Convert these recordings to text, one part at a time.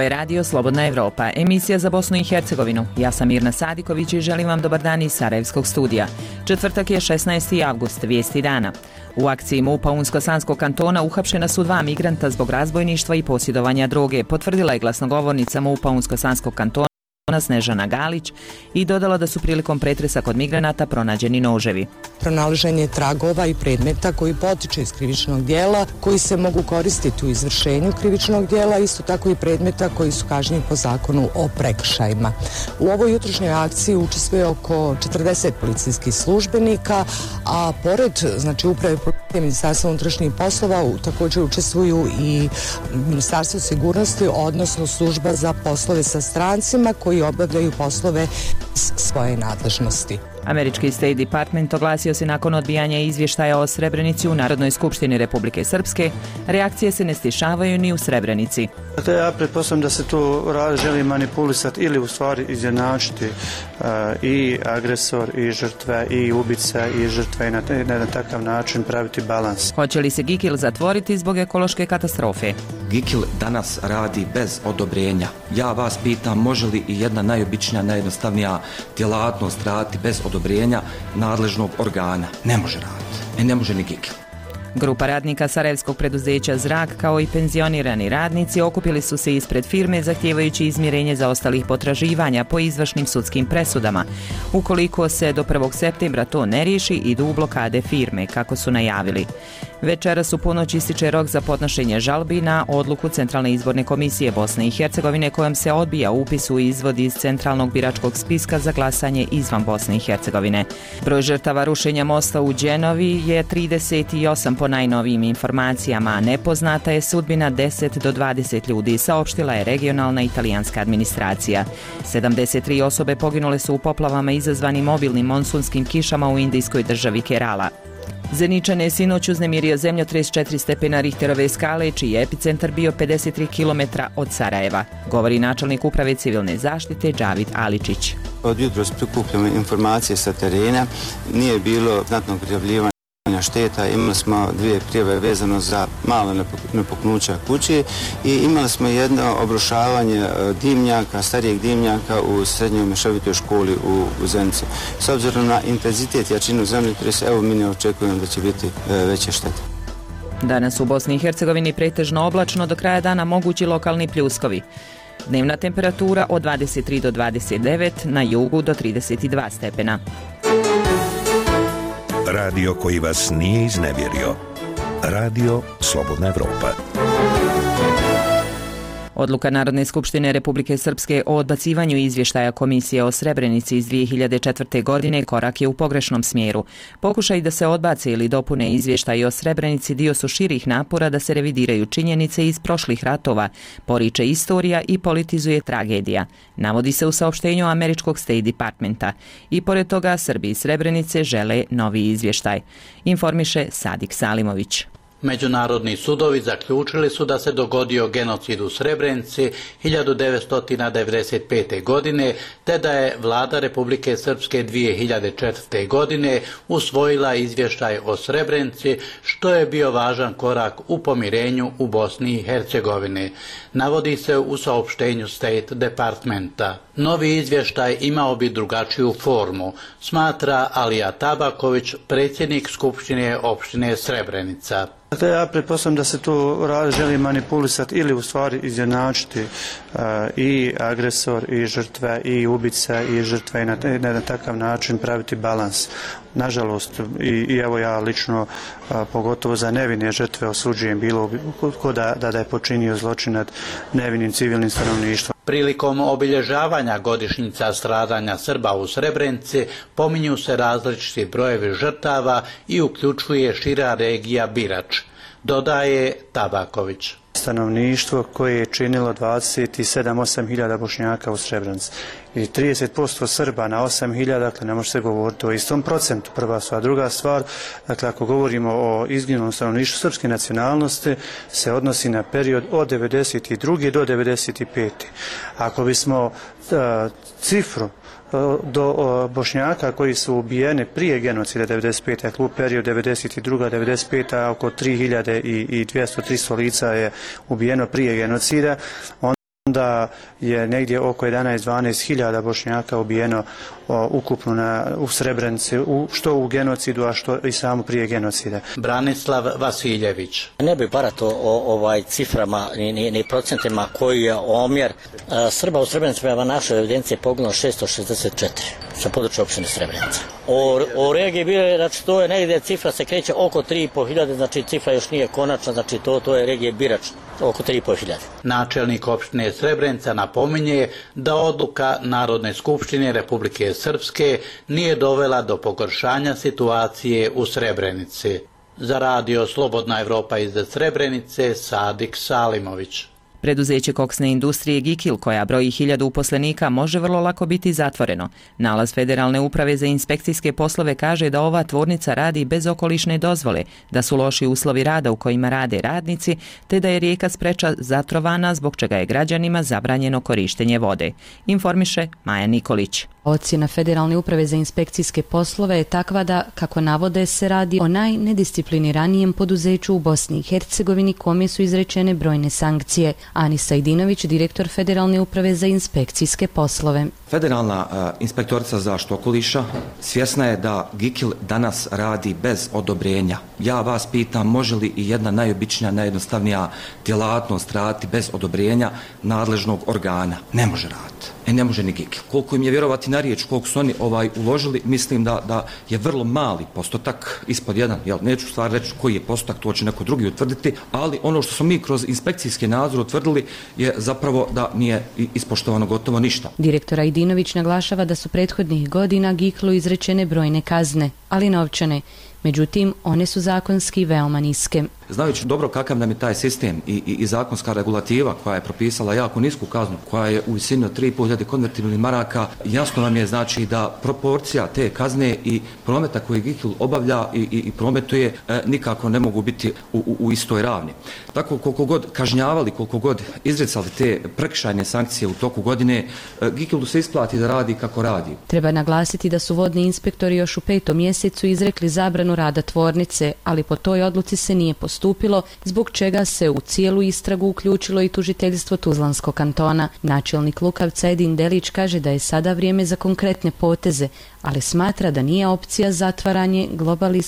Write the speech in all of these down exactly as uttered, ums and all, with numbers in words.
Ovo je radio Slobodna Evropa, emisija za Bosnu i Hercegovinu. Ja sam Mirna Sadiković i želim vam dobar dan iz Sarajevskog studija. Četvrtak je šesnaesti avgust, vijesti dana. U akciji MUP-a Unsko-Sanskog kantona uhapšena su dva migranta zbog razbojništva i posjedovanja droge, potvrdila je glasnogovornica MUP-a Unsko-Sanskog kantona Snežana Galić i dodala da su prilikom pretresa kod migranata pronađeni noževi. Pronalaženje tragova i predmeta koji potiče iz krivičnog dijela, koji se mogu koristiti u izvršenju krivičnog dijela, isto tako i predmeta koji su kažnjeni po zakonu o prekršajima. U ovoj jutrošnjoj akciji učestvuje oko četrdeset policijskih službenika, a pored znači uprave policije Ministarstva unutrašnjih poslova također učestvuju i Ministarstvo sigurnosti, odnosno služba za poslove sa strancima koji obavljaju poslove svoje nadležnosti. Američki State Department oglasio se nakon odbijanja izvještaja o Srebrenici u Narodnoj skupštini Republike Srpske. Reakcije se ne stišavaju ni u Srebrenici. Dakle, ja pretpostavljam da se to želi manipulisati ili u stvari izjednačiti uh, i agresor i žrtve i ubica i žrtve i na, na, na takav način praviti balans. Hoće li se Gikil zatvoriti zbog ekološke katastrofe? Gikil danas radi bez odobrenja. Ja vas pitam, može li i jedna najobičnija, najjednostavnija djelatnost raditi bez odobrenja nadležnog organa? Ne može raditi. E ne može ni Gikil. Grupa radnika Sarajevskog preduzeća Zrak kao i penzionirani radnici okupili su se ispred firme zahtijevajući izmirenje zaostalih potraživanja po izvršnim sudskim presudama. Ukoliko se do prvog septembra to ne riješi, idu u blokade firme, kako su najavili. Večeras u ponoć ističe rok za podnošenje žalbi na odluku Centralne izborne komisije Bosne i Hercegovine kojom se odbija upis u izvod iz Centralnog biračkog spiska za glasanje izvan Bosne i Hercegovine. Broj žrtava rušenja mosta u Đenovi je trideset osam po najnovijim informacijama, a nepoznata je sudbina deset do dvadeset ljudi, saopštila je regionalna italijanska administracija. sedamdeset tri osobe poginule su u poplavama izazvanim obilnim monsunskim kišama u indijskoj državi Kerala. Zeničan je sinoć uznemirio zemljotres četiri stepena Richterove skale, čiji je epicentar bio pedeset tri kilometra od Sarajeva, govori načelnik uprave civilne zaštite Džavid Aličić. Od jutros prikupljamo informacije sa terena, nije bilo znatnog prijavljivanja šteta, imali smo dvije prijave vezano za malo nepoknuća kući i imali smo jedno obrušavanje dimnjaka, starijeg dimnjaka u srednjoj mješovitoj školi u, u Zenici. S obzirom na intenzitet i jačinu zemljotresa, evo mi ne očekujemo da će biti e, veće štete. Danas u Bosni i Hercegovini pretežno oblačno, do kraja dana mogući lokalni pljuskovi. Dnevna temperatura od dvadeset tri do dvadeset devet, na jugu do trideset dva stepena. Radio koji vas nije iznevjerio. Radio Slobodna Evropa. Odluka Narodne skupštine Republike Srpske o odbacivanju izvještaja Komisije o Srebrenici iz dvije hiljade četvrte. godine korak je u pogrešnom smjeru. Pokušaj da se odbace ili dopune izvještaji o Srebrenici dio su širih napora da se revidiraju činjenice iz prošlih ratova, poriče istorija i politizuje tragedija, navodi se u saopštenju američkog State Departmenta. I pored toga Srbi iz Srebrenice žele novi izvještaj, informiše Sadik Salimović. Međunarodni sudovi zaključili su da se dogodio genocid u Srebrenici hiljadu devetsto devedeset pete. godine, te da je vlada Republike Srpske dvije hiljade četvrte. godine usvojila izvještaj o Srebrenici, što je bio važan korak u pomirenju u Bosni i Hercegovini, navodi se u saopštenju State Departmenta. Novi izvještaj imao bi drugačiju formu, smatra Alija Tabaković, predsjednik Skupštine opštine Srebrenica. Dakle, ja pretpostavljam da se to želi manipulisati ili u stvari izjednačiti uh, i agresor i žrtve i ubica i žrtve i na, na, na takav način praviti balans. Nažalost, i, i evo ja lično, a, pogotovo za nevine žrtve osuđujem bilo ko da, da, da je počinio zločin nad nevinim civilnim stanovništvom. Prilikom obilježavanja godišnjica stradanja Srba u Srebrenici pominju se različiti brojevi žrtava i uključuje šira regija Birač, dodaje Tabaković. Stanovništvo koje je činilo dvadeset sedam do osam hiljada Bošnjaka u Srebrenici i trideset posto Srba na osam hiljada, dakle ne može se govoriti o istom procentu, prva stvar. Druga stvar, dakle ako govorimo o izginulom stanovništvu srpske nacionalnosti, se odnosi na period od devedeset druge do devedeset pete. Ako bismo uh, cifru do Bošnjaka koji su ubijeni prije genocida devedeset pete. Dakle, u period devedeset druga do devedeset peta. oko tri hiljade dvjesto do tristo lica je ubijeno prije genocida. da je negdje oko jedanaest do dvanaest hiljada Bošnjaka ubijeno o, ukupno na, u Srebrenici, u, što u genocidu, a što i samo prije genocida. Branislav Vasiljević. Ne bi barato o ovaj ciframa ni, ni, ni procentima koji je omjer. A, Srba u Srebrenici prema našoj evidenciji je poginulo šesto šezdeset četiri sa područja opštine Srebrenica. O, o regiji bile, znači to je negdje cifra se kreće oko tri i po hiljade, znači cifra još nije konačna, znači to, to je regije Birač, oko tri i po hiljade. Načelnik opštine Srebrenica napominje da odluka Narodne skupštine Republike Srpske nije dovela do pogoršanja situacije u Srebrenici. Za radio Slobodna Evropa iz Srebrenice, Sadik Salimović. Preduzeće koksne industrije Gikil, koja broji hiljadu uposlenika, može vrlo lako biti zatvoreno. Nalaz Federalne uprave za inspekcijske poslove kaže da ova tvornica radi bez okolišne dozvole, da su loši uslovi rada u kojima rade radnici, te da je rijeka Spreča zatrovana, zbog čega je građanima zabranjeno korištenje vode. Informiše Maja Nikolić. Ocjena Federalne uprave za inspekcijske poslove je takva da, kako navode, se radi o najnediscipliniranijem poduzeću u Bosni i Hercegovini kome su izrečene brojne sankcije. Anisa Idinović, direktor Federalne uprave za inspekcijske poslove. Federalna uh, inspektorica za zaštitu okoliša svjesna je da Gikil danas radi bez odobrenja. Ja vas pitam, može li i jedna najobičnija, najjednostavnija djelatnost raditi bez odobrenja nadležnog organa? Ne može raditi. E ne može ni Gikil. Koliko im je vjerovati na riječ, koliko su oni ovaj, uložili, mislim da, da je vrlo mali postotak, ispod jedan. Jel, neću stvar reći koji je postotak, to će neko drugi utvrditi, ali ono što smo mi kroz inspekcijski nadzor utvrdili je zapravo da nije ispoštovano gotovo ništa. Direktora Idinović naglašava da su prethodnih godina Giklu izrečene brojne kazne, ali novčane. Međutim, one su zakonski veoma niske. Znajući dobro kakav nam je taj sistem i, i, i zakonska regulativa koja je propisala jako nisku kaznu, koja je u visini od tri i po hiljade konvertibilnih maraka, jasno nam je znači da proporcija te kazne i prometa koji Gikil obavlja i, i, i prometuje e, nikako ne mogu biti u, u, u istoj ravni. Tako koliko god kažnjavali, koliko god izricali te prekršajne sankcije u toku godine, e, Gikilu se isplati da radi kako radi. Treba naglasiti da su vodni inspektori još u petom mjesecu izrekli zabranu rada tvornice, ali po toj odluci se nije postupilo, zbog čega se u cijelu istragu uključilo i tužiteljstvo Tuzlanskog kantona. Načelnik Lukavca Edin Delić kaže da je sada vrijeme za konkretne poteze, ali smatra da nije opcija zatvaranje globalni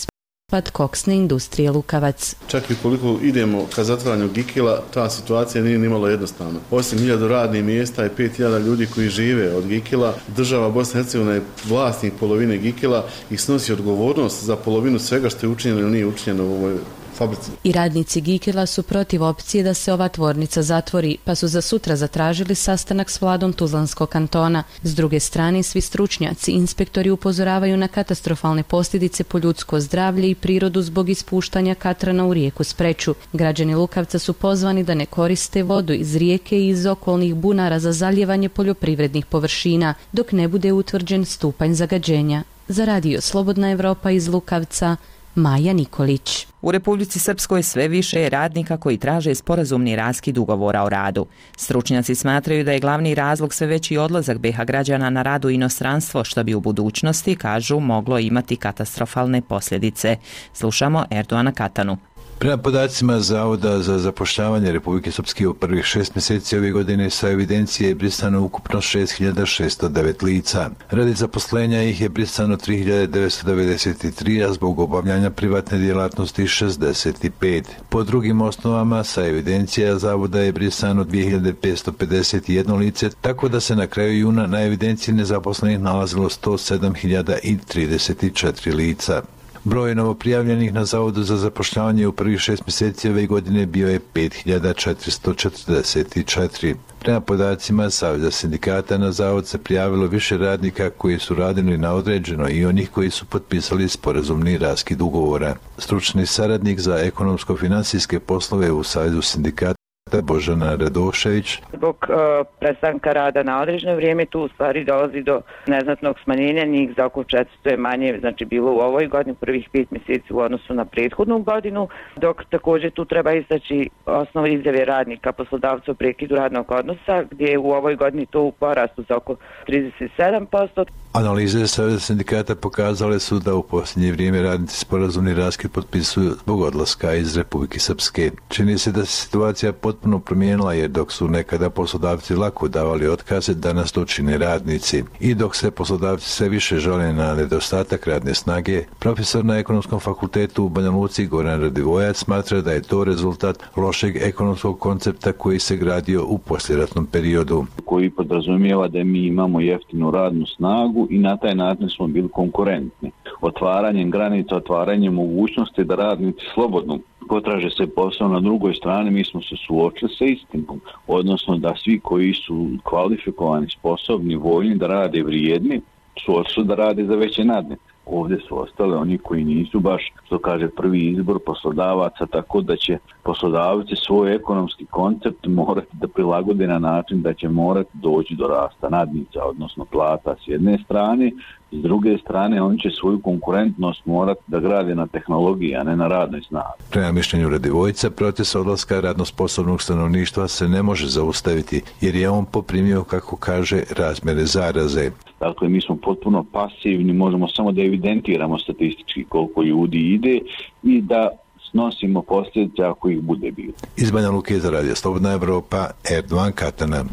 pad koksne industrije Lukavac. Čak i koliko idemo ka zatvaranju Gikila, ta situacija nije nimalo jednostavna. Osim hiljadu radnih mjesta i pet hiljada ljudi koji žive od Gikila, država Bosne i Hercegovine je vlasnik polovine Gikila i snosi odgovornost za polovinu svega što je učinjeno ili nije učinjeno u ovoj fabrici. I radnici Gikila su protiv opcije da se ova tvornica zatvori, pa su za sutra zatražili sastanak s vladom Tuzlanskog kantona. S druge strane, svi stručnjaci, inspektori upozoravaju na katastrofalne posljedice po ljudsko zdravlje i prirodu zbog ispuštanja katrana u rijeku Spreču. Građani Lukavca su pozvani da ne koriste vodu iz rijeke i iz okolnih bunara za zalijevanje poljoprivrednih površina, dok ne bude utvrđen stupanj zagađenja. Za radio Slobodna Evropa iz Lukavca, Maja Nikolić. U Republici Srpskoj sve više je radnika koji traže sporazumni raskid ugovora o radu. Stručnjaci smatraju da je glavni razlog sve veći odlazak B i H građana na rad u inostranstvo, što bi u budućnosti, kažu, moglo imati katastrofalne posljedice. Slušamo Erdoana Katanu. Prema podacima Zavoda za zapošljavanje Republike Srpske u prvih šest mjeseci ove godine sa evidencije je brisano ukupno šest hiljada šesto devet lica. Radi zaposlenja ih je brisano tri hiljade devetsto devedeset tri, a zbog obavljanja privatne djelatnosti šezdeset pet. Po drugim osnovama sa evidencija Zavoda je brisano dvije hiljade petsto pedeset jedno lice, tako da se na kraju juna na evidenciji nezaposlenih nalazilo sto sedam hiljada trideset četiri lica. Broj novoprijavljenih na Zavodu za zapošljavanje u prvih šest mjeseci ove godine bio je pet hiljada četiristo četrdeset četiri. Prema podacima Saveza sindikata na Zavod se prijavilo više radnika koji su radili na određeno i onih koji su potpisali sporazumni raskid ugovora. Stručni saradnik za ekonomsko-financijske poslove u Savezu sindikata Božana Radošević. Zbog uh, prestanka rada na određeno vrijeme tu u stvari dolazi do neznatnog smanjenja, njih za oko četiristo je manje, znači bilo u ovoj godini, prvih pet mjeseci u odnosu na prethodnu godinu, dok također tu treba istaći osnovu izjave radnika poslodavca o prekidu radnog odnosa, gdje je u ovoj godini to u porastu za oko trideset sedam posto. Analize Saveza sindikata pokazale su da u posljednje vrijeme radnici sporazumni raskid potpisuju zbog odlaska iz Republike Srpske. Čini se da se situacija potpuno promijenila, jer dok su nekada poslodavci lako davali otkaze, danas to čine radnici. I dok se poslodavci sve više žale na nedostatak radne snage, profesor na Ekonomskom fakultetu u Banja Luci Goran Radivojac smatra da je to rezultat lošeg ekonomskog koncepta koji se gradio u poslijeratnom periodu. Koji podrazumijeva da mi imamo jeftinu radnu snagu i na taj način smo bili konkurentni. Otvaranjem granica, otvaranjem mogućnosti da radnici slobodno potraže se posao na drugoj strani, mi smo se suočili sa istinom. Odnosno da svi koji su kvalifikovani, sposobni, voljni da rade vrijedni, su odšli da rade za veće nadnice. Ovdje su ostale oni koji nisu baš, što kaže, prvi izbor poslodavaca, tako da će poslodavci svoj ekonomski koncept morati da prilagode na način da će morati doći do rasta nadnica, odnosno plata s jedne strane, s druge strane on će svoju konkurentnost morati da grade na tehnologiji, a ne na radnoj snazi. Prema mišljenju Radivojca, proces odlaska radno sposobnog stanovništva se ne može zaustaviti, jer je on poprimio, kako kaže, razmjere zaraze. Dakle, mi smo potpuno pasivni, možemo samo da evidentiramo statistički koliko ljudi ide i da snosimo posljedice ako ih bude bilo. Iz Banja Luke za Radio Slobodna Evropa, Erdovan Katana.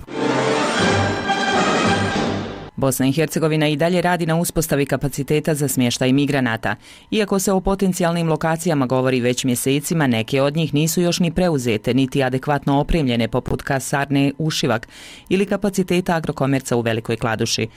Bosna i Hercegovina i dalje radi na uspostavi kapaciteta za smještaj migranata. Iako se o potencijalnim lokacijama govori već mjesecima, neke od njih nisu još ni preuzete, niti adekvatno opremljene, poput kasarne Ušivak ili kapaciteta Agrokomerca u Velikoj Kladuši.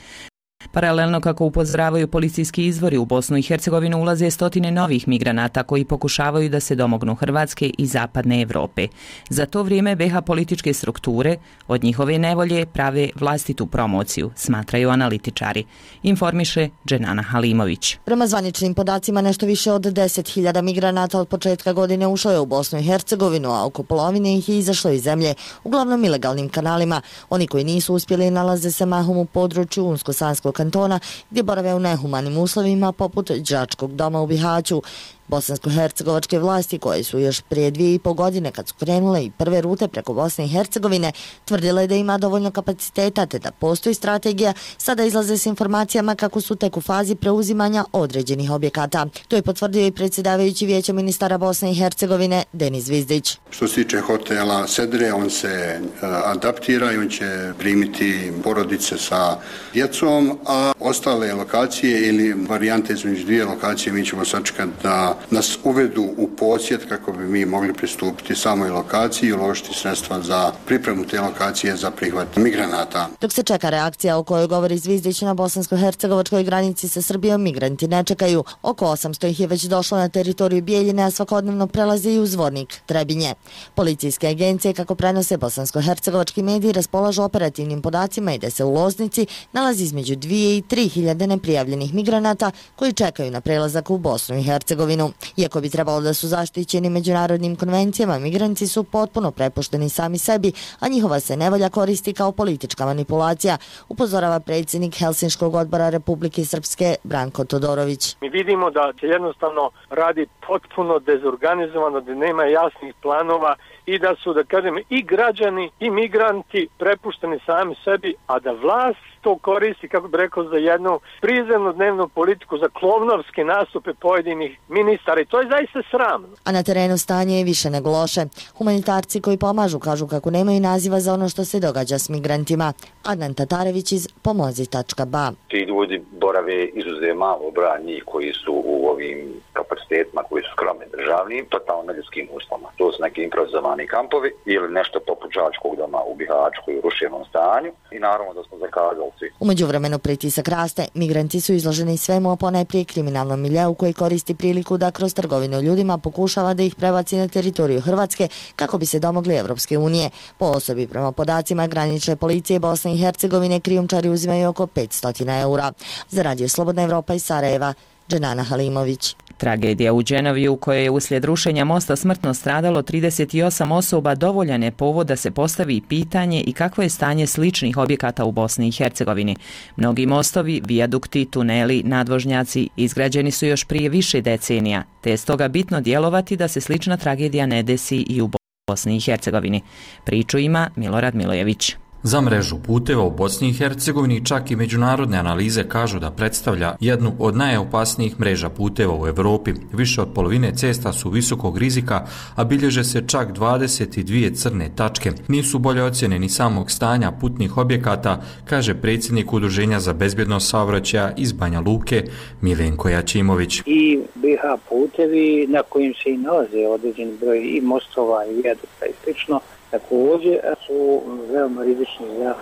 Paralelno, kako upozoravaju policijski izvori, u Bosnu i Hercegovinu ulaze stotine novih migranata koji pokušavaju da se domognu Hrvatske i zapadne Europe. Za to vrijeme be ha političke strukture od njihove nevolje prave vlastitu promociju, smatraju analitičari. Informiše Dženana Halimović. Prema zvaničnim podacima, nešto više od deset hiljada migranata od početka godine ušlo je u Bosnu i Hercegovinu, a oko polovine ih je izašlo iz zemlje, uglavnom ilegalnim kanalima. Oni koji nisu uspjeli nalaze se mahom u području Unsko-Sanskog kantona, gdje borave u nehumanim uslovima poput đačkog doma u Bihaću. Bosansko-hercegovačke vlasti, koje su još prije dvije i pol godine, kad su krenule i prve rute preko Bosne i Hercegovine, tvrdile da ima dovoljno kapaciteta te da postoji strategija, sada izlaze s informacijama kako su tek u fazi preuzimanja određenih objekata. To je potvrdio i predsjedavajući Vijeća ministara Bosne i Hercegovine Denis Zvizdić. Što se tiče hotela Sedre, on se uh, adaptira i on će primiti porodice sa djecom, a ostale lokacije ili varijante između dvije lokacije mi ćemo sačekati da nas uvedu u posjet kako bi mi mogli pristupiti samoj lokaciji i uložiti sredstva za pripremu te lokacije za prihvat migranata. Dok se čeka reakcija o kojoj govori Zvizdić na bosansko-hercegovačkoj granici sa Srbijom, migranti ne čekaju. Oko osamsto ih je već došlo na teritoriju Bijeljine, a svakodnevno prelaze i u Zvornik, Trebinje. Policijske agencije, kako prenose bosansko-hercegovački mediji, raspolažu operativnim podacima i da se u Loznici nalazi između dvije i tri hiljade neprijavljenih migranata koji čekaju na prelazak u Bosnu i Hercegovinu. Iako bi trebalo da su zaštićeni međunarodnim konvencijama, migranti su potpuno prepušteni sami sebi, a njihova se nevolja koristi kao politička manipulacija, upozorava predsjednik Helsinškog odbora Republike Srpske Branko Todorović. Mi vidimo da se jednostavno radi potpuno dezorganizovano, da nema jasnih planova i da su, da kažem, i građani i migranti prepušteni sami sebi, a da vlast to koristi, kako bi rekao, za jednu prizemnu dnevnu politiku, za klovnovske nastupe pojedinih ministara i to je zaista sramno. A na terenu stanje je više nego loše. Humanitarci koji pomažu kažu kako nemaju naziva za ono što se događa s migrantima. Adnan Tatarević iz pomozi tačka ba. Ti ljudi borave izuzev malo broja njih koji su u ovim kapacitetima koji su skromni državnim, totalno neljudskim uslovima. To su neki improvizovani kampovi ili nešto poput đačkog doma u Bihaću koji je u ruševnom stanju i naravno da smo zakazali svi. U međuvremenu pritisak raste. Migranti su izloženi svemu, a ponajprije kriminalnom miljeu koji koristi priliku da kroz trgovinu ljudima pokušava da ih prebaci na teritoriju Hrvatske kako bi se domogli Evropske unije. Po osobi, prema podacima granične policije Bosne i Hercegovine, krijumčari uzimaju oko petsto eura. Za Radio Slobodna Evropa iz Sarajeva, Dženana Halimović. Tragedija u Dženovi, u kojoj je uslijed rušenja mosta smrtno stradalo trideset osam osoba, dovoljan je povod da se postavi pitanje i kakvo je stanje sličnih objekata u Bosni i Hercegovini. Mnogi mostovi, vijadukti, tuneli, nadvožnjaci izgrađeni su još prije više decenija, te je stoga bitno djelovati da se slična tragedija ne desi i u Bosni i Hercegovini. Priču ima Milorad Milojević. Za mrežu puteva u Bosni i Hercegovini čak i međunarodne analize kažu da predstavlja jednu od najopasnijih mreža puteva u Europi. Više od polovine cesta su visokog rizika, a bilježe se čak dvadeset dvije crne tačke. Nisu bolje ocjene ni samog stanja putnih objekata, kaže predsjednik Udruženja za bezbjednost saobraćaja iz Banja Luke Milenko Jačimović. I B H putevi na kojim se i nalaze određen broj i mostova i vijadukta i slično, također su veoma rizični za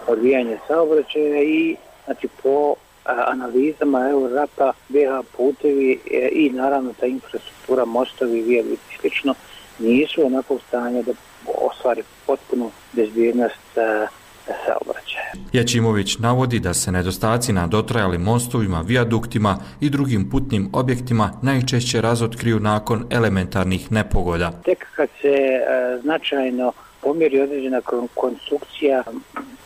odvijanje saobraćaja i znači po analizama Eurorapa B H putevi i naravno ta infrastruktura, mostovi, vijadukti i slično nisu onakvog stanja da ostvari potpunu bezbjednost saobraćaja. Jačimović navodi da se nedostaci na dotrajalim mostovima, vijaduktima i drugim putnim objektima najčešće razotkriju nakon elementarnih nepogoda. Tek kad se e, značajno pomjeri određena konstrukcija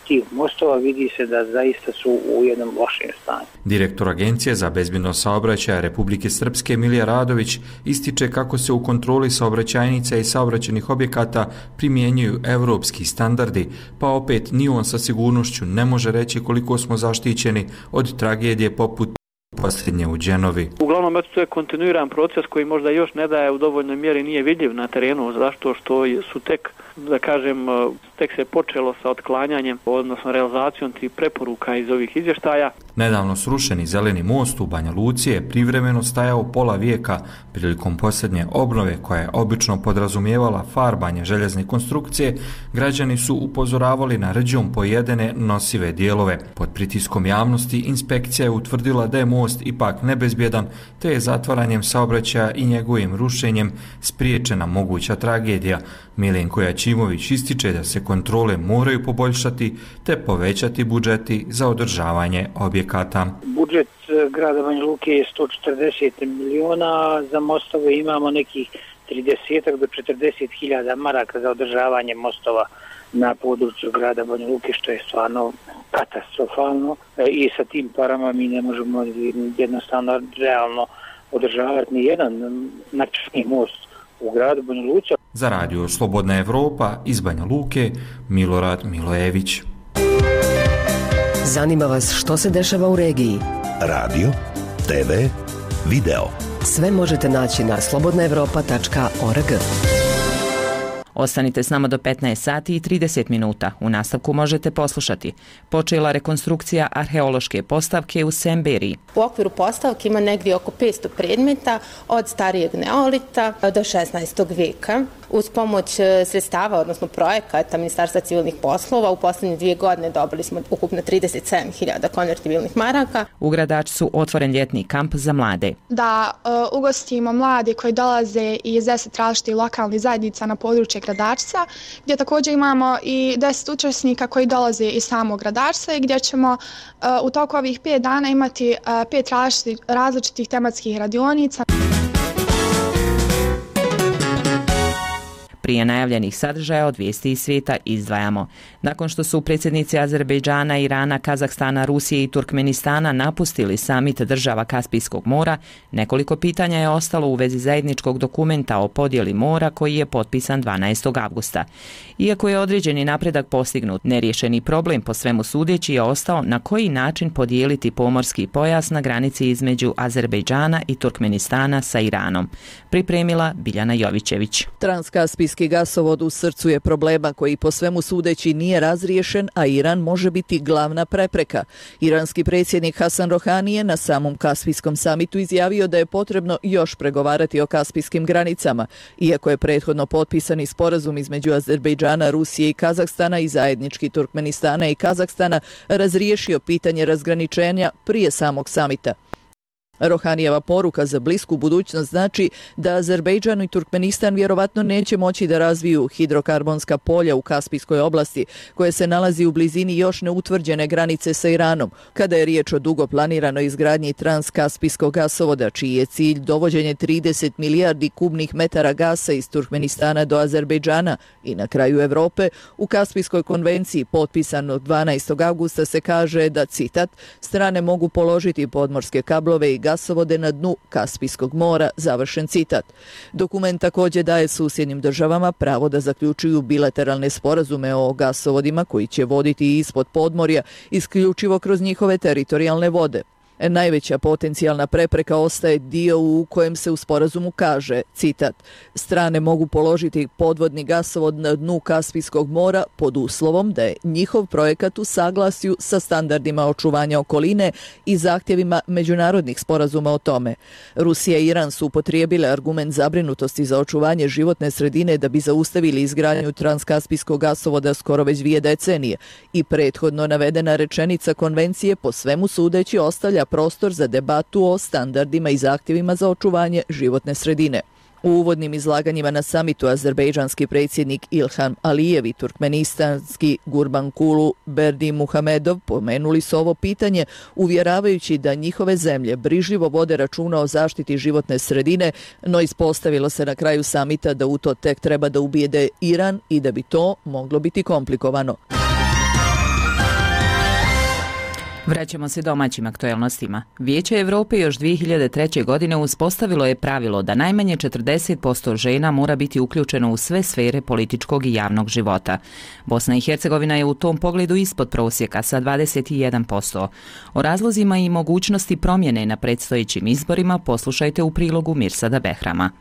tih mostova, vidi se da zaista su u jednom lošem stanju. Direktor Agencije za bezbjednost saobraćaja Republike Srpske Milija Radović ističe kako se u kontroli saobraćajnica i saobraćajnih objekata primjenjuju evropski standardi, pa opet ni on sa sigurnošću ne može reći koliko smo zaštićeni od tragedije poput posljednje u Dženovi. Uglavnom, eto, to je kontinuiran proces koji možda još ne daje u dovoljnoj mjeri, nije vidljiv na terenu, zašto što su tek, da kažem, tek se počelo sa otklanjanjem, odnosno realizacijom tih preporuka iz ovih izvještaja. Nedavno srušeni zeleni most u Banja Luci je privremeno stajao pola vijeka prilikom posljednje obnove koja je obično podrazumijevala farbanje željezne konstrukcije. Građani su upozoravali na rđom pojedene nosive dijelove. Pod pritiskom javnosti inspekcija je utvrdila da je most ipak nebezbjedan, te je zatvaranjem saobraćaja i njegovim rušenjem spriječena moguća tragedija. Milenko Jačimović ističe da se kontrole moraju poboljšati te povećati budžeti za održavanje objekata. Budžet grada Banja Luke je sto četrdeset miliona, za mostove imamo nekih trideset do četrdeset hiljada maraka za održavanje mostova na području grada Banja Luke, što je stvarno katastrofalno i sa tim parama mi ne možemo jednostavno realno održavati ni jedan način most u gradu Banja Luci. Za radio Slobodna Evropa iz Banja Luke, Milorad Milojević. Zanima vas što se dešava u regiji? Radio, te ve, video. Sve možete naći na slobodna evropa tačka org. Ostanite s nama do petnaest sati i trideset minuta. U nastavku možete poslušati. Počela rekonstrukcija arheološke postavke u Semberiji. U okviru postavke ima negdje oko petsto predmeta od starijeg neolita do šesnaestog vijeka. Uz pomoć sredstava, odnosno projekata Ministarstva civilnih poslova, u posljednje dvije godine dobili smo ukupno trideset sedam hiljada konvertibilnih maraka. U Gradačcu su otvoren ljetni kamp za mlade. Da uh, ugostimo mlade koji dolaze iz deset različitih lokalnih zajednica na područje Gradačca, gdje također imamo i deset učesnika koji dolaze iz samog Gradačca i gdje ćemo uh, u toku ovih pet dana imati uh, pet različitih, različitih tematskih radionica. Prije najavljenih sadržaja od vijesti iz svijeta izdvajamo. Nakon što su predsjednici Azerbejdžana, Irana, Kazahstana, Rusije i Turkmenistana napustili samit država Kaspijskog mora, nekoliko pitanja je ostalo u vezi zajedničkog dokumenta o podjeli mora koji je potpisan dvanaestog avgusta. Iako je određeni napredak postignut, neriješeni problem po svemu sudeći je ostao na koji način podijeliti pomorski pojas na granici između Azerbejdžana i Turkmenistana sa Iranom. Pripremila Biljana Jovićević. Transkaspijski gasovod u srcu je problema koji po svemu sudeći nije razriješen, a Iran može biti glavna prepreka. Iranski predsjednik Hasan Rohani je na samom Kaspijskom samitu izjavio da je potrebno još pregovarati o kaspijskim granicama, iako je prethodno potpisani sporazum između Azerbejdžana, Rusije i Kazahstana i zajednički Turkmenistana i Kazahstana razriješio pitanje razgraničenja prije samog samita. Rohanijeva poruka za blisku budućnost znači da Azerbejdžan i Turkmenistan vjerovatno neće moći da razviju hidrokarbonska polja u Kaspijskoj oblasti, koje se nalazi u blizini još neutvrđene granice sa Iranom, kada je riječ o dugo planiranoj izgradnji transkaspijskog gasovoda, čiji je cilj dovođenje trideset milijardi kubnih metara gasa iz Turkmenistana do Azerbejdžana i na kraju Evrope. U Kaspijskoj konvenciji potpisanog dvanaestog avgusta se kaže da, citat, strane mogu položiti podmorske kablove i gasovode na dnu Kaspijskog mora, završen citat. Dokument također daje susjednim državama pravo da zaključuju bilateralne sporazume o gasovodima koji će voditi ispod podmorja isključivo kroz njihove teritorijalne vode. Najveća potencijalna prepreka ostaje dio u kojem se u sporazumu kaže, citat, strane mogu položiti podvodni gasovod na dnu Kaspijskog mora pod uslovom da je njihov projekat u saglasju sa standardima očuvanja okoline i zahtjevima međunarodnih sporazuma o tome. Rusija i Iran su upotrijebile argument zabrinutosti za očuvanje životne sredine da bi zaustavili izgradnju transkaspijskog gasovoda skoro već dvije decenije i prethodno navedena rečenica konvencije po svemu sudeći ostavlja prostor za debatu o standardima i zahtjevima za očuvanje životne sredine. U uvodnim izlaganjima na samitu azerbejdžanski predsjednik Ilham Alijev i turkmenistanski Gurbankulu Berdimuhamedov pomenuli su ovo pitanje uvjeravajući da njihove zemlje brižljivo vode računa o zaštiti životne sredine, no ispostavilo se na kraju samita da u to tek treba da ubijede Iran i da bi to moglo biti komplikovano. Vraćamo se domaćim aktuelnostima. Vijeće Evrope još dvije hiljade treće. godine uspostavilo je pravilo da najmanje četrdeset posto žena mora biti uključeno u sve sfere političkog i javnog života. Bosna i Hercegovina je u tom pogledu ispod prosjeka sa dvadeset jedan posto. O razlozima i mogućnosti promjene na predstojećim izborima poslušajte u prilogu Mirsada Behrama.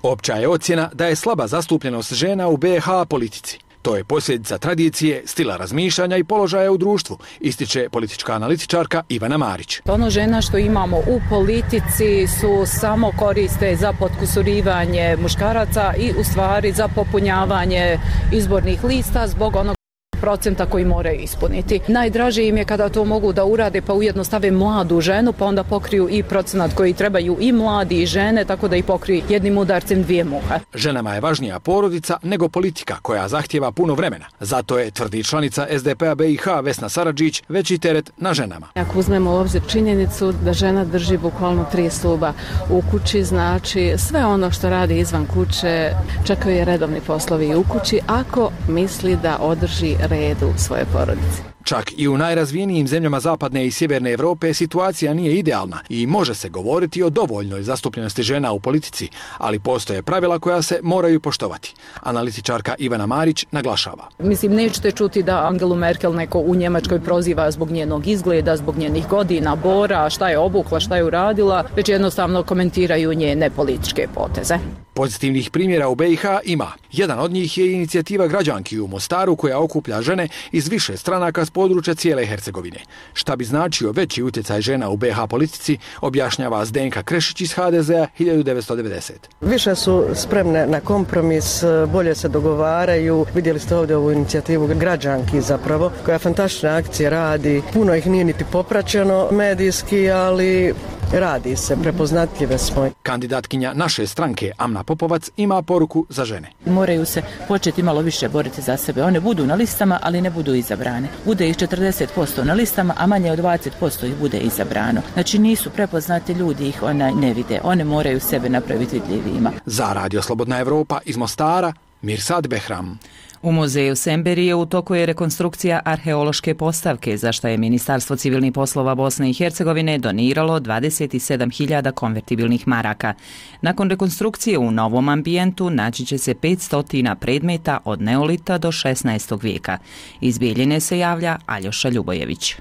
Opća je ocjena da je slaba zastupljenost žena u be ha politici. To je posljedica tradicije, stila razmišljanja i položaja u društvu, ističe politička analitičarka Ivana Marić. Ono žena što imamo u politici su samo koriste za potkusurivanje muškaraca i u stvari za popunjavanje izbornih lista zbog onog procenta koji moraju ispuniti. Najdraže im je kada to mogu da urade pa ujedno stave mladu ženu pa onda pokriju i procenat koji trebaju i mladi i žene tako da ih pokriju jednim udarcem dvije muhe. Ženama je važnija porodica nego politika koja zahtjeva puno vremena. Zato je, tvrdi članica es de pe a be i ha Vesna Saradžić, veći teret na ženama. Ako uzmemo u obzir činjenicu da žena drži bukvalno tri stuba u kući, znači sve ono što radi izvan kuće, čekaju je redovni poslovi i u kući ako misli da održi redu svoje porodice. Čak i u najrazvijenijim zemljama zapadne i sjeverne Europe situacija nije idealna i može se govoriti o dovoljnoj zastupljenosti žena u politici, ali postoje pravila koja se moraju poštovati. Analitičarka Ivana Marić naglašava. Mislim, nećete čuti da Angelu Merkel neko u Njemačkoj proziva zbog njenog izgleda, zbog njenih godina, bora, šta je obukla, šta je uradila, već jednostavno komentiraju njene političke poteze. Pozitivnih primjera u be i ha ima. Jedan od njih je inicijativa građanki u Mostaru koja okuplja žene iz više stranaka s područja cijele Hercegovine. Šta bi značio veći utjecaj žena u be ha politici, objašnjava Zdenka Krešić iz ha de ze a hiljadu devetsto devedesete. Više su spremne na kompromis, bolje se dogovaraju. Vidjeli ste ovdje ovu inicijativu građanki zapravo, koja fantastične akcije radi. Puno ih nije niti popraćeno medijski, ali radi se, prepoznatljive smo. Kandidatkinja naše stranke Amna Popovac ima poruku za žene. Moraju se početi malo više boriti za sebe. One budu na listama, ali ne budu izabrane. Bude ih četrdeset posto na listama, a manje od dvadeset posto ih bude izabrano. Znači nisu prepoznati ljudi, ih ona ne vide. One moraju sebe napraviti vidljivima. Za Radio Slobodna Evropa iz Mostara, Mirsad Behram. U muzeju Semberije u toku je rekonstrukcija arheološke postavke, za što je Ministarstvo civilnih poslova Bosne i Hercegovine doniralo dvadeset sedam hiljada konvertibilnih maraka. Nakon rekonstrukcije u novom ambijentu naći će se petsto predmeta od neolita do šesnaestog vijeka. Iz Bijeljine se javlja Aljoša Ljubojević.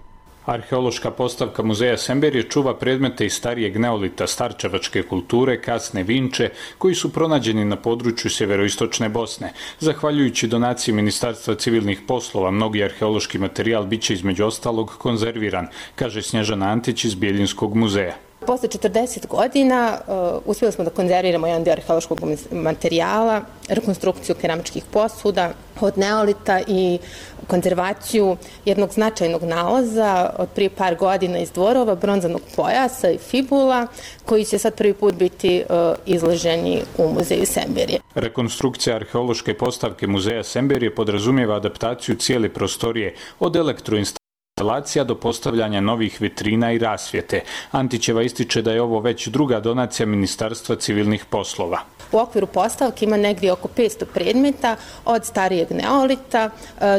Arheološka postavka muzeja Semberije čuva predmete iz starijeg neolita, starčevačke kulture, kasne Vinče, koji su pronađeni na području sjeveroistočne Bosne. Zahvaljujući donaciji Ministarstva civilnih poslova, mnogi arheološki materijal bit će između ostalog konzerviran, kaže Snježana Antić iz Bijeljinskog muzeja. Posle četrdeset godina uh, uspjeli smo da konzerviramo jedan dio arheološkog materijala, rekonstrukciju keramičkih posuda od neolita i konzervaciju jednog značajnog nalaza od prije par godina iz dvorova, bronzanog pojasa i fibula, koji će sad prvi put biti uh, izloženi u muzeju Semberije. Rekonstrukcija arheološke postavke muzeja Semberije podrazumijeva adaptaciju cijele prostorije od elektroinstalacije instalacija do postavljanja novih vitrina i rasvjete. Antićeva ističe da je ovo već druga donacija Ministarstva civilnih poslova. U okviru postavke ima negdje oko petsto predmeta od starijeg neolita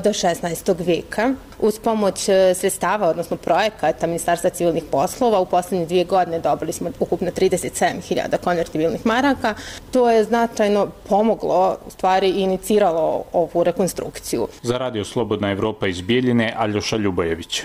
do šesnaestog vijeka. Uz pomoć sredstava, odnosno projekata Ministarstva civilnih poslova, u posljednje dvije godine dobili smo ukupno trideset sedam hiljada konvertibilnih maraka. To je značajno pomoglo, u stvari iniciralo ovu rekonstrukciju. Za Radio Slobodna Evropa iz Bijeljine, Aljoša Ljubojević.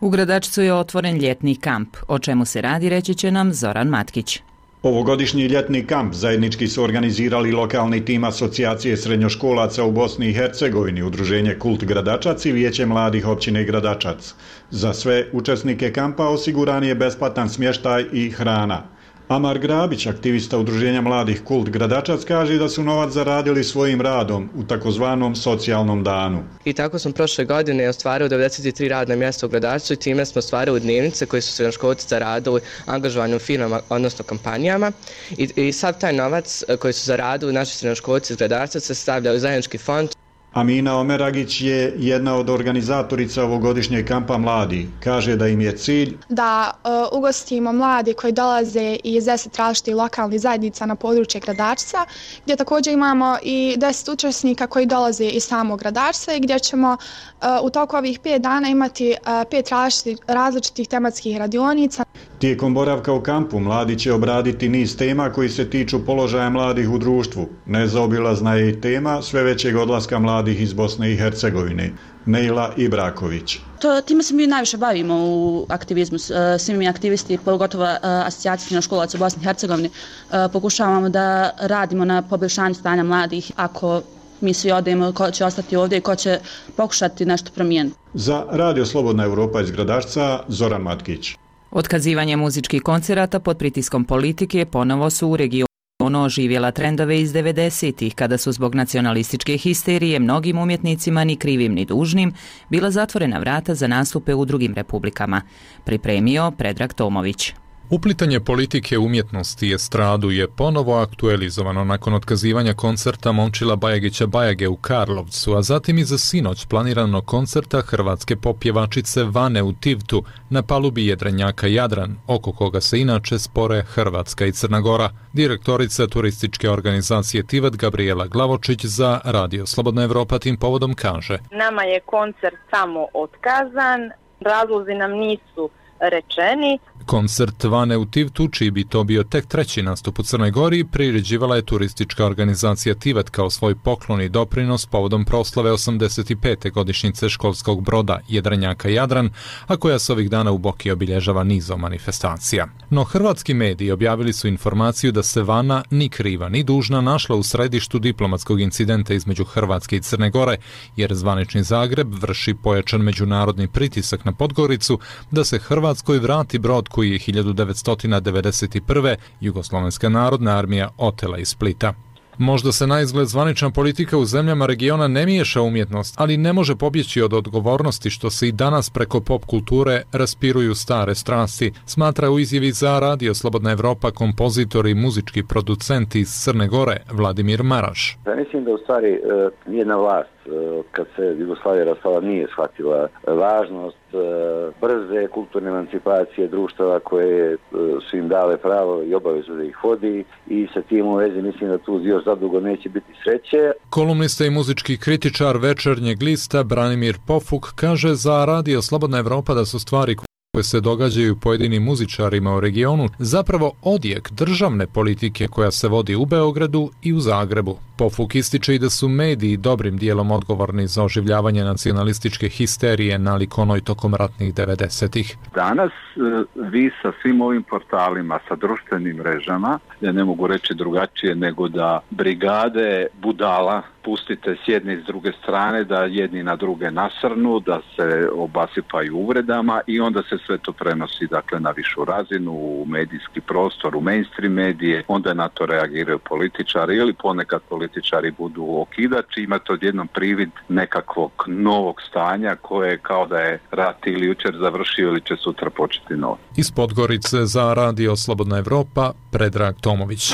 U Gradačcu je otvoren ljetni kamp. O čemu se radi, reći će nam Zoran Matkić. Ovogodišnji ljetni kamp zajednički su organizirali lokalni tim Asocijacije srednjoškolaca u Bosni i Hercegovini, Udruženje Kult Gradačac i Vijeće mladih općine Gradačac. Za sve učesnike kampa osiguran je besplatan smještaj i hrana. Amar Grabić, aktivista Udruženja mladih Kult Gradačac, kaže da su novac zaradili svojim radom u takozvanom socijalnom danu. I tako smo prošle godine ostvarili devedeset tri radna mjesta u Gradačcu i time smo ostvarili dnevnice koje su srednjoškolci zaradili angažovanjem u firmama, odnosno kampanjama. I, i sav taj novac koji su zaradili naši srednjoškolci iz Gradačca se stavlja u zajednički fond. Amina Omeragić je jedna od organizatorica ovogodišnjeg kampa mladi. Kaže da im je cilj da uh, ugostimo mlade koji dolaze iz deset različitih lokalnih zajednica na područje Gradačca, gdje također imamo i deset učesnika koji dolaze iz samog Gradačca i gdje ćemo uh, u toku ovih pet dana imati uh, pet različitih, različitih tematskih radionica. Tijekom boravka u kampu mladi će obraditi niz tema koji se tiču položaja mladih u društvu. Nezaobilazna je i tema sve većeg odlaska mladih iz Bosne i Hercegovine. Neila Ibraković. To, time se mi najviše bavimo u aktivizmu. Svi mi aktivisti, pogotovo Asocijacija srednjoškolaca u Bosni i Hercegovini, pokušavamo da radimo na poboljšanju stanja mladih. Ako mi svi odemo, ko će ostati ovdje i ko će pokušati nešto promijeniti. Za Radio Slobodna Evropa iz Gradačca, Zoran Matkić. Otkazivanje muzičkih koncerata pod pritiskom politike ponovo su u regionu oživjela trendove iz devedesetih, kada su zbog nacionalističke histerije mnogim umjetnicima, ni krivim ni dužnim, bila zatvorena vrata za nastupe u drugim republikama. Pripremio Predrag Tomović. Uplitanje politike umjetnosti i estradu je ponovo aktualizovano nakon otkazivanja koncerta Momčila Bajagića Bajage u Karlovcu, a zatim i za sinoć planiranog koncerta hrvatske popjevačice Vane u Tivtu na palubi jedrenjaka Jadran, oko koga se inače spore Hrvatska i Crna Gora. Direktorica turističke organizacije Tivat Gabriela Glavočić za Radio Slobodna Evropa tim povodom kaže: Nama je koncert samo otkazan, razlozi nam nisu rečeni. Koncert Vane u Tivtu, čiji bi to bio tek treći nastup u Crnoj Gori, priređivala je turistička organizacija Tivat kao svoj poklon i doprinos povodom proslave osamdeset pete godišnjice školskog broda jedrenjaka Jadran, a koja se ovih dana u Boki obilježava nizom manifestacija. No hrvatski mediji objavili su informaciju da se Vana ni kriva ni dužna našla u središtu diplomatskog incidenta između Hrvatske i Crne Gore, jer zvanični Zagreb vrši pojačan međunarodni pritisak na Podgoricu da se Hrvatskoj vrati brod koji je hiljadu devetsto devedeset prve. Jugoslovenska narodna armija otela iz Splita. Možda se na izgled zvanična politika u zemljama regiona ne miješa umjetnost, ali ne može pobjeći od odgovornosti što se i danas preko pop kulture raspiruju stare strasti, smatra u izjavi za Radio Slobodna Evropa kompozitor i muzički producent iz Crne Gore Vladimir Maraš. Ja mislim da u stvari nijedna vlast kad se Jugoslavija rastala nije shvatila važnost brze kulturne emancipacije društava koje su im dale pravo i obavezu da ih vodi, i sa tim u vezi mislim da tu još zadugo neće biti sreće. Kolumnista i muzički kritičar Večernjeg lista Branimir Pofuk kaže za Radio Slobodna Evropa da su stvari koje se događaju pojedinim muzičarima u regionu zapravo odjek državne politike koja se vodi u Beogradu i u Zagrebu. Pofuk ističe i da su mediji dobrim dijelom odgovorni za oživljavanje nacionalističke histerije nalik onoj tokom ratnih devedesetih. Danas vi sa svim ovim portalima, sa društvenim mrežama, ja ne mogu reći drugačije nego da brigade budala pustite s jedne i s druge strane, da jedni na druge nasrnu, da se obasipaju uvredama i onda se sve to prenosi dakle na višu razinu, u medijski prostor, u mainstream medije, onda na to reagiraju političari ili ponekad političari budu okidači, imate odjednom privid nekakvog novog stanja koje kao da je rat ili jučer završio ili će sutra početi novo. Iz Podgorice za Radio Slobodna Evropa, Predrag Tomović.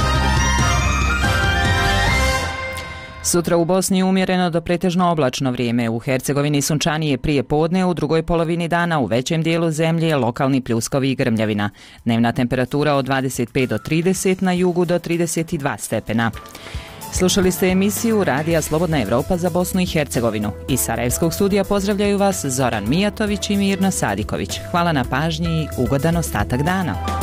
Sutra u Bosni umjereno do pretežno oblačno vrijeme, u Hercegovini sunčanije prije podne, u drugoj polovini dana u većem dijelu zemlje lokalni pljuskovi i grmljavina. Dnevna temperatura od dvadeset pet do trideset, na jugu do trideset dva stepena. Slušali ste emisiju Radija Slobodna Evropa za Bosnu i Hercegovinu. Iz Sarajevskog studija pozdravljaju vas Zoran Mijatović i Mirna Sadiković. Hvala na pažnji i ugodan ostatak dana.